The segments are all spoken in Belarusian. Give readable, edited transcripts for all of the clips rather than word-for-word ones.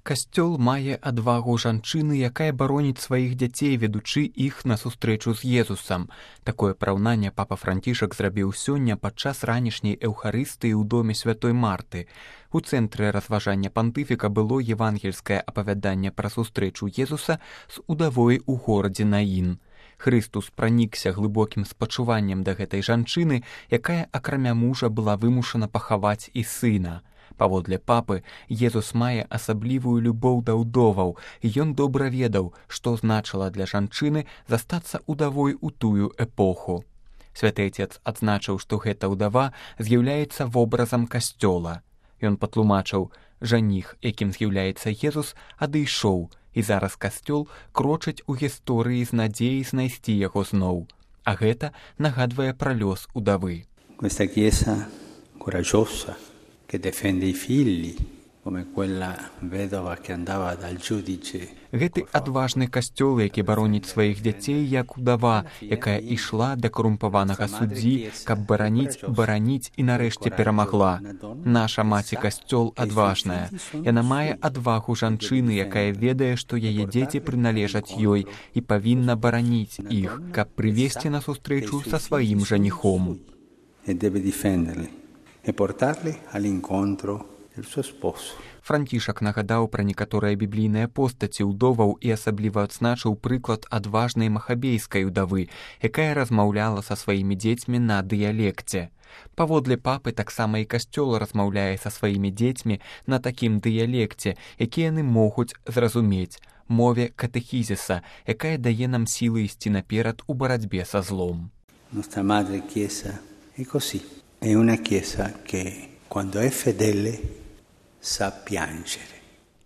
Касцёл мае адвагу жанчыны, якая бароніць сваіх дзяцей, ведучы іх на сустрэчу з Езусам. Такое параўнанне папа Францішак зрабіў сёння падчас ранішняй эўхарыстыі ў доме святой Марты. У цэнтры разважання пантыфіка было евангельскае апавяданне пра сустрэчу Езуса з удавой у горадзе Наін. Хрыстус пранікся глыбокім спачуваннем да гэтай жанчыны, якая акрамя мужа была вымушана пахаваць і сына. Паводле папы, Езус мае асаблівую любоў да ўдоваў, і ён добра ведаў, што значыла для жанчыны застацца ўдавой у тую эпоху. Святы Отец адзначыў, што гэта ўдава з'яўляецца вобразам касцёла. Ён патлумачыў, жаніх, якім з'яўляецца Езус, адышоў, і зараз касцёл крочыць у гісторыі з надзеяй знайсці яго зноў. А гэта нагадвае пра лёс удавы. Questa chiesa coraggiosa che difende i figli, come quella vedova che andava dal giudice. Гэты адважны касцёл, які бароніць сваіх дзяцей, як удава, якая ішла да карумпаванага суддзі, каб бараніць і нарэшце перамагла. Наша маці касцёл адважная. Яна мае адвагу жанчыны, якая ведае, што яе дзеці прыналежаць ёй і павінна бараніць іх, каб прывесці на сустрэчу са сваім жаніхом. E deve difenderli e portarli all'incontro del suo sposo. Францішак нагадаў пра некаторыя біблійныя постаці ўдоваў і асабліва адзначыў прыклад адважнай махабейскай удавы, якая размаўляла са сваімі дзецьмі на дыялекце. Паводле папы таксама і касцёл размаўляе са сваімі дзецьмі на такім дыялекце, які яны могуць зразумець, мове катэхізіса, якая дае нам сілы ісці наперад у барацьбе са злом. Nostra madre Chiesa è così. È una chiesa che quando è fedele sa piangere.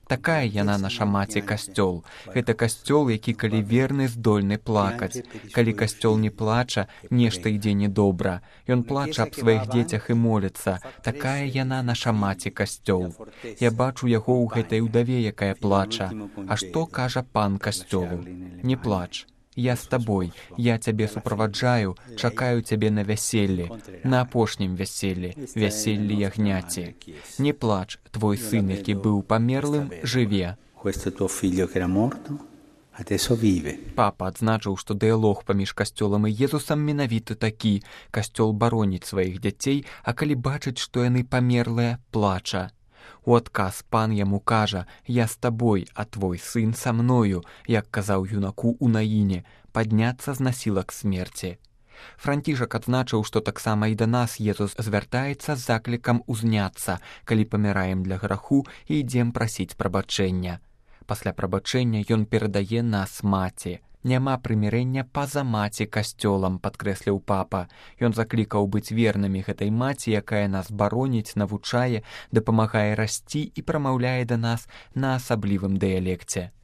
Такая яна наша маці касцёл. Гэта касцёл, які калі верны, здольны плакаць. Калі касцёл не плача, нешта ідзе недобра. Ён плача аб сваіх дзецях і моліцца. Такая яна наша маці касцёл. Я бачу яго ў гэтай удаве, якая плача. А што кажа пан касцёлу? Не плач. Я з табой, я цябе суправаджаю, чакаю цябе на вяселлі, на апошнім вяселлі, вяселлі ягняці. Не плач, твой сын, які быў памерлым, жыве. Папа адзначыў, што дыялог паміж касцёлам і Езусам менавіта такі. Касцёл бароніць сваіх дзяцей, а калі бачыць, што яны памерлыя, плача. У адказ пан яму кажа: «Я з табой, а твой сын са мною», як казаў юнаку ў Наіне, падняцца з насілак смерці. Францішак адзначыў, што таксама і да нас Езус звяртаецца з заклікам узняцца, калі паміраем для граху і ідзем прасіць прабачэння. Пасля прабачэння ён перадае нас маці. Няма прымірэння па-за маці касцёлам, падкрэсліў папа. Ён заклікаў быць вернымі гэтай маці, якая нас бароніць, навучае, дапамагае расці і прамаўляе да нас на асаблівым дыялекце.